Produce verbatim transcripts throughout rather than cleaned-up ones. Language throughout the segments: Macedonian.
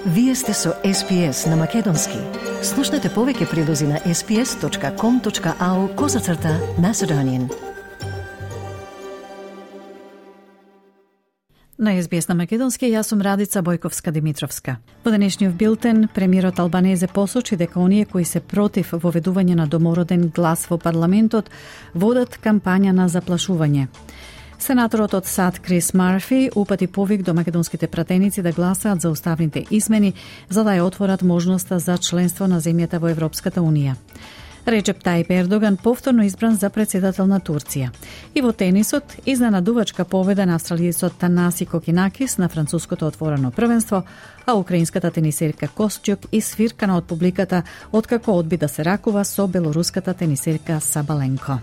Вие сте со Ес Пи Ес на Македонски. Слушнете повеќе прилози на ес пи ес точка ком точка ау козацрта Macedonian. На Ес Би Ес на Македонски, јас сум Радица Бојковска-Димитровска. Во денешниот билтен, премиерот Албанезе посочи дека оние кои се против воведување на домороден глас во парламентот водат кампања на заплашување. Сенаторот од САД Крис Марфи упати повик до македонските пратеници да гласаат за уставните измени за да ја отворат можноста за членство на земјата во Европската Унија. Реджеп Тајип Ердоган повторно избран за председател на Турција. И во тенисот, изненадувачка победа на австралијецот Танаси Кокинакис на француското отворено првенство, а украинската тенисерка Костјук исфиркана од публиката откако одби да се ракува со белоруската тенисерка Сабаленко.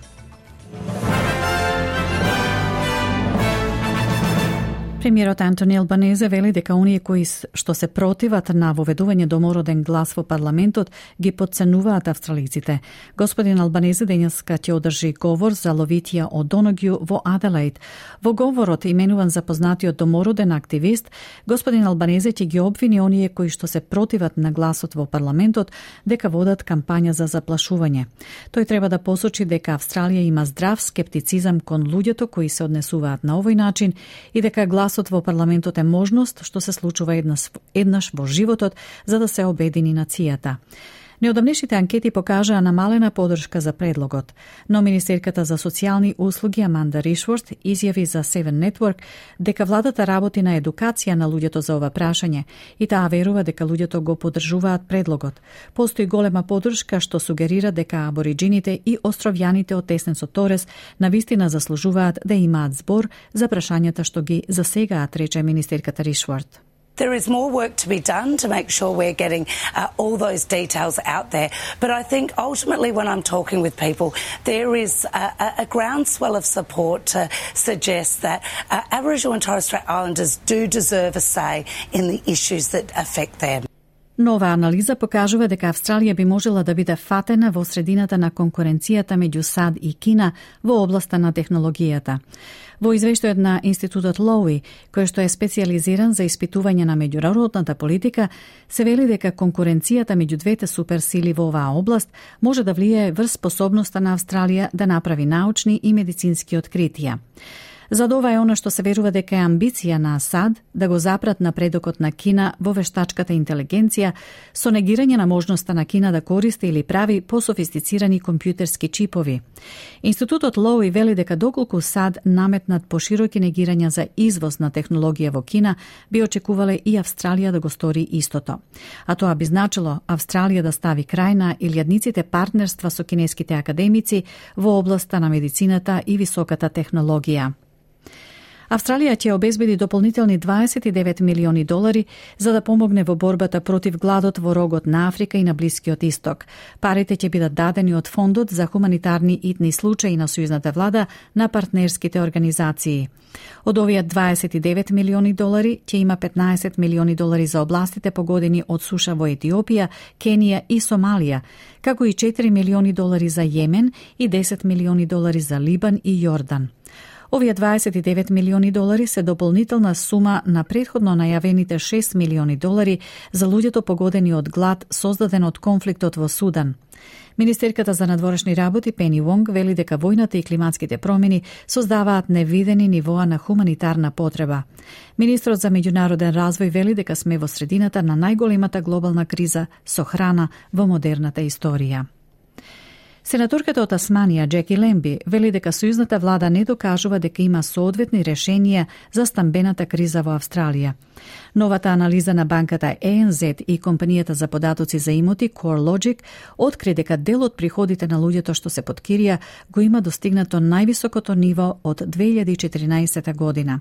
Премиерот Антони Албанезе вели дека оние кои што се противат на воведување домороден глас во парламентот ги потценуваат австралиците. Господин Албанезе денеска ќе одржи говор за ловитија од Доногју во Аделаид. Во говорот, именуван за познатиот домороден активист, господин Албанезе ќе ги обвини оние кои што се противат на гласот во парламентот дека водат кампања за заплашување. Тој треба да посочи дека Австралија има здрав скептицизам кон луѓето кои се однесуваат на овој начин и дека гласот во парламентот е можност што се случува еднаш, еднаш во животот за да се обедини нацијата. Неодамнешните анкети покажаа намалена поддршка за предлогот, но Министерката за социјални услуги Аманда Ришворт изјави за Seven Network дека владата работи на едукација на луѓето за ова прашање и таа верува дека луѓето го поддржуваат предлогот. Постои голема поддршка што сугерира дека абориджините и островјаните од Теснесот Торес навистина заслужуваат да имаат збор за прашањата што ги засегаат, рече Министерката Ришворт. There is more work to be done to make sure we're getting uh, all those details out there. But I think ultimately when I'm talking with people, there is a, a groundswell of support to suggest that uh, Aboriginal and Torres Strait Islanders do deserve a say in the issues that affect them. Нова анализа покажува дека Австралија би можела да биде фатена во средината на конкуренцијата меѓу САД и Кина во областа на технологијата. Во извештајот на Институтот Лоуи, кој што е специјализиран за испитување на меѓународната политика, се вели дека конкуренцијата меѓу двете суперсили во оваа област може да влијае врз способноста на Австралија да направи научни и медицински откритија. Зад ова е она што се верува дека е амбиција на САД да го запрат напредокот на Кина во вештачката интелигенција со негирање на можноста на Кина да користи или прави пософистицирани компјутерски чипови. Институтот Лоуи вели дека доколку САД наметнат пошироки негирања за извоз на технологија во Кина, би очекувале и Австралија да го стори истото. А тоа би значило Австралија да стави крај на илјадниците партнерства со кинеските академици во областа на медицината и високата технологија. Австралија ќе обезбеди дополнителни дваесет и девет милиони долари за да помогне во борбата против гладот во рогот на Африка и на Блискиот Исток. Парите ќе бидат дадени од Фондот за хуманитарни итни случаи на сојузната влада на партнерските организации. Од овие дваесет и девет милиони долари ќе има петнаесет милиони долари за областите погодени од суша во Етиопија, Кенија и Сомалија, како и четири милиони долари за Јемен и десет милиони долари за Либан и Јордан. Овие дваесет и девет милиони долари се дополнителна сума на претходно најавените шест милиони долари за луѓето погодени од глад создаден од конфликтот во Судан. Министерката за надворешни работи Пени Вонг вели дека војната и климатските промени создаваат невидени нивоа на хуманитарна потреба. Министрот за меѓународен развој вели дека сме во средината на најголемата глобална криза со храна во модерната историја. Сенаторката од Тасманија, Джеки Лемби, вели дека сојузната влада не докажува дека има соодветни решенија за стамбената криза во Австралија. Новата анализа на банката Е Ен Зет и компанијата за податоци за имоти CoreLogic откри дека дел од приходите на луѓето што се под кирија го има достигнато највисокото ниво од две илјади и четиринаесета година.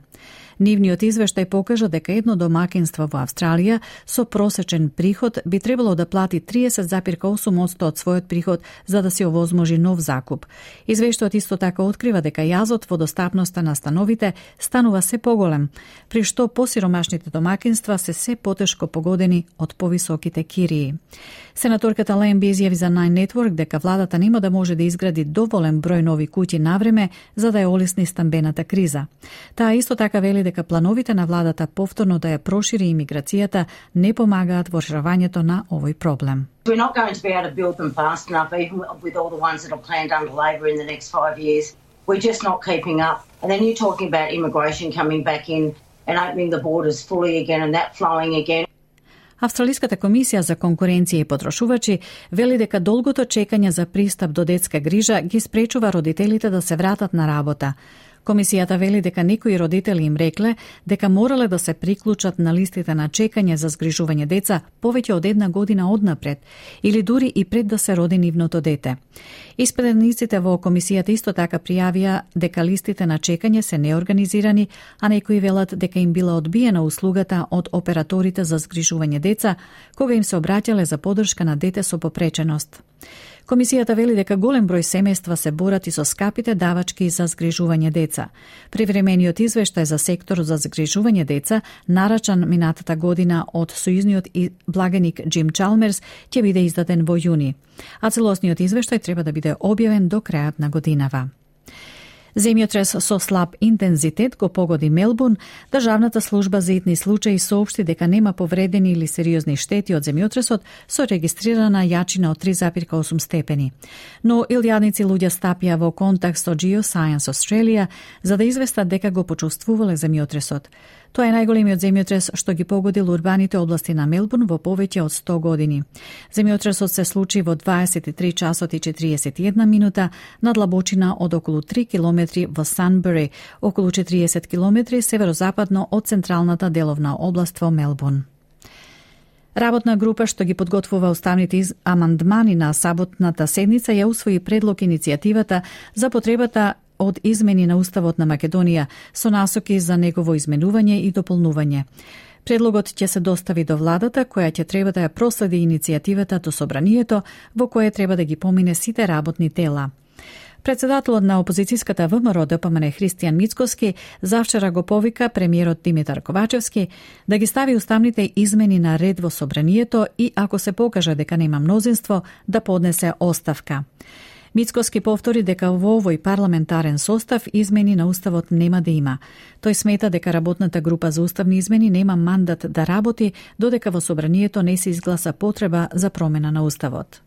Нивниот извештај покажа дека едно домакинство во Австралија со просечен приход би требало да плати триесет зарез осум одсто од својот приход за да се овозможи нов закуп. Извештајот исто така открива дека јазот во достапноста на становите станува се поголем, при што посиромашните домакинства се се потешко погодени од повисоките кирии. Сенаторката Лемби изјави за Nine Network дека владата нема да може да изгради доволен број нови куќи навреме за да ја олесни стамбената криза. Таа исто така вели дека плановите на владата повторно да ја прошири имиграцијата не помагаат во решавањето на овој проблем. We're not going to be able to build them fast enough, even with all the ones that are planned under Labor in the next five years. We're just not keeping up. And then you're talking about immigration coming back in and opening the borders fully again and that flowing again. Австралиската комисија за конкуренција и потрошувачи вели дека долгото чекање за пристап до детска грижа ги спречува родителите да се вратат на работа. Комисијата вели дека некои родители им рекле дека морале да се приклучат на листите на чекање за згрижување деца повеќе од една година однапред или дури и пред да се роди нивното дете. Испитаниците во комисијата исто така пријавија дека листите на чекање се неорганизирани, а некои велат дека им била одбиена услугата од операторите за згрижување деца кога им се обраќале за поддршка на дете со попреченост. Комисијата вели дека голем број семејства се борат и со скапите давачки за згрижување деца. Привремениот извештај за секторот за згрижување деца, нарачан минатата година од сојузниот благеник Джим Чалмерс, ќе биде издаден во јуни, а целосниот извештај треба да биде објавен до крајот на годинава. Земјотрес со слаб интензитет го погоди Мелбурн. Државната служба за итни случаи соопшти дека нема повредени или сериозни штети од земјотресот со регистрирана јачина од три зарез и осум степени. Но илјадници луѓе стапија во контакт со Geoscience Australia за да известат дека го почувствувале земјотресот. Тоа е најголемиот земјотрес што ги погодил урбаните области на Мелбурн во повеќе од сто години. Земјотресот се случи во дваесет и три часот и четириесет и една минута на длабочина од околу три километри во Санбери, околу четириесет километри северозападно од централната деловна област во Мелбурн. Работна група што ги подготвува уставните амандмани на саботната седница ја усвои предлог иницијативата за потребата од измени на Уставот на Македонија со насоки за негово изменување и дополнување. Предлогот ќе се достави до владата, која ќе треба да ја проследи иницијативата до собранието, во кое треба да ги помине сите работни тела. Председателот на опозицијската ВМРО Д П М Н Христијан Мицкоски завчера го повика премиерот Димитар Ковачевски да ги стави уставните измени на ред во собранието и ако се покаже дека нема мнозинство, да поднесе оставка. Мицкоски повтори дека во овој парламентарен состав измени на Уставот нема да има. Тој смета дека работната група за уставни измени нема мандат да работи додека во собранието не се изгласа потреба за промена на Уставот.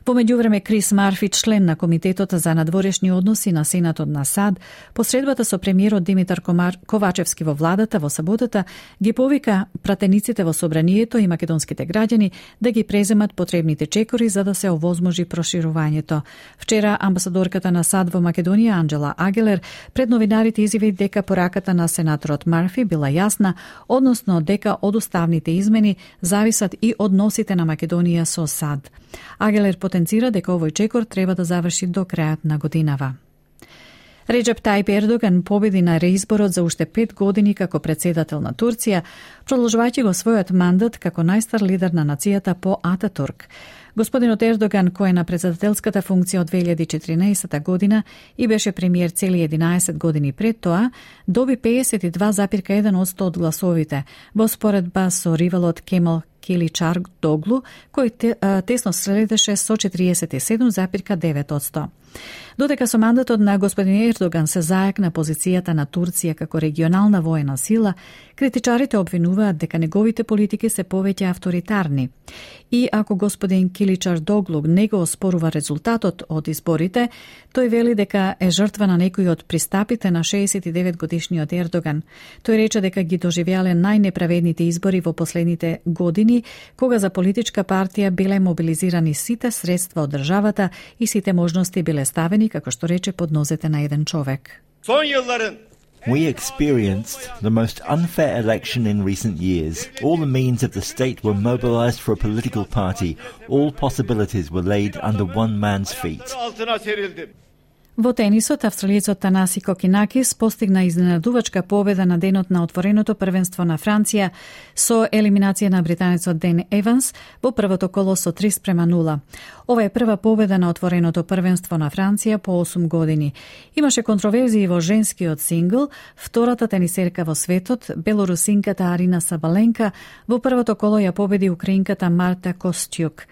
Во меѓувреме, Крис Марфи, член на Комитетот за надворешни односи на Сенатот на САД, посредбата со премиерот Димитар Ковачевски во владата во саботата, ги повика пратениците во собранието и македонските граѓани да ги преземат потребните чекори за да се овозможи проширувањето. Вчера амбасадорката на САД во Македонија Анджела Агелер пред новинарите изјави дека пораката на сенаторот Марфи била јасна, односно дека од уставните измени зависат и односите на Македонија со САД. Агелер потенцира дека овој чекор треба да заврши до крајот на годинава. Реджеп Тајип Ердоган победи на реизборот за уште пет години како председател на Турција, продолжувајќи го својот мандат како најстар лидер на нацијата по Ататурк. Господинот Ердоган, кој е на председателската функција од две илјади и четиринаесета година и беше премиер цели единаесет години пред тоа, доби пеесет и два зарез и еден одсто од гласовите, во споредба со ривалот Кемал Киличдароглу, кој те, а, тесно следеше со четириесет и седум зарез и девет одсто. Додека со мандатот на господин Ердоган се зајакна позицијата на Турција како регионална воена сила, критичарите обвинуваат дека неговите политики се повеќе авторитарни. И ако господин Киличдароглу не го оспорува резултатот од изборите, тој вели дека е жртва на некои од пристапите на шеесет и девет годишниот Ердоган. Тој рече дека ги доживеале најнеправедните избори во последните години, кога за политичка партија биле мобилизирани сите средства од државата и сите можности биле ставени, како што рече, под нозете на еден човек. We experienced the most unfair election in recent years. All the means of the state were mobilized for a political party. All possibilities were laid under one man's feet. Во тенисот, австралиецот Танаси Кокинакис постигна изненадувачка победа на денот на отвореното првенство на Франција со елиминација на британецот Ден Еванс во првото коло со три спрема нула. Ова е прва победа на отвореното првенство на Франција по осум години. Имаше контроверзии во женскиот сингл, втората тенисерка во светот, белорусинката Арина Сабаленка, во првото коло ја победи украинката Марта Костјук.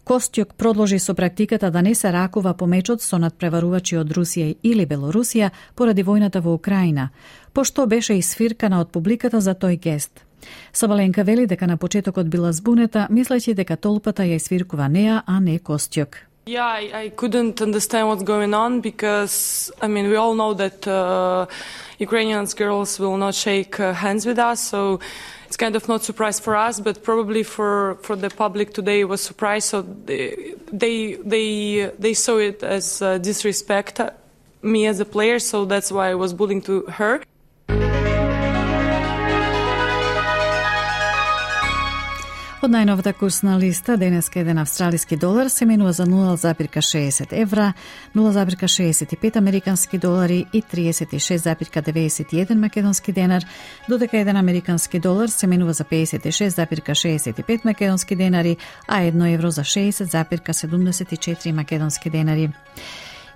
Костјук продолжи со практиката да не се ракува по мечот со надпреварувачи од Русија или Белорусија поради војната во Украина, пошто беше исфиркана од публиката за тој гест. Сабаленка вели дека на почетокот била збунета, мислејќи дека толпата ја исфиркува неа, а не Костјук. Yeah, I, I couldn't understand what's going on because, I mean, we all know that uh, Ukrainian girls will not shake uh, hands with us, so it's kind of not surprise for us, but probably for, for the public today it was surprise, so they, they, they, they saw it as uh, disrespect me as a player, so that's why I was bullying to her. Од најновата курсна листа, денеска еден австралиски долар се менува за нула зарез шеесет евра, нула зарез шеесет и пет американски долари и триесет и шест зарез деветдесет и еден македонски денар, додека еден американски долар се менува за педесет и шест зарез шеесет и пет македонски денари, а едно евро за шеесет зарез седумдесет и четири македонски денари.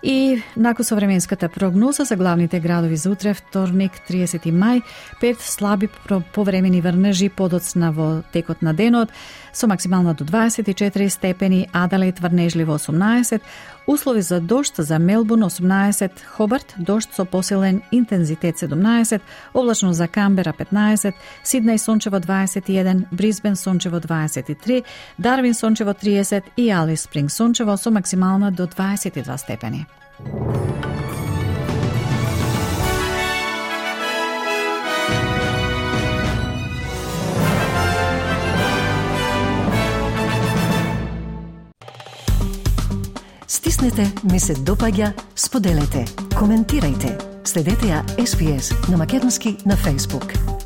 И нако со временската прогноза за главните градови за утре, вторник, триесети мај, пет слаби повремени врнежи подоцна во текот на денот, со максимална до дваесет и четири степени, Аделаид врнежливо осумнаесет, услови за дожд за Мелбурн осумнаесет, Хобарт дожд со посилен интензитет седумнаесет, облачно за Камбера петнаесет, Сиднеј сончево дваесет и еден, Брисбен сончево дваесет и три, Дарвин сончево триесет и Алис Спринг сончево со максимална до дваесет и два степени. Стиснете, ми се допаѓа, споделете, коментирајте. Следете ја Ес Би Ес на македонски на Facebook.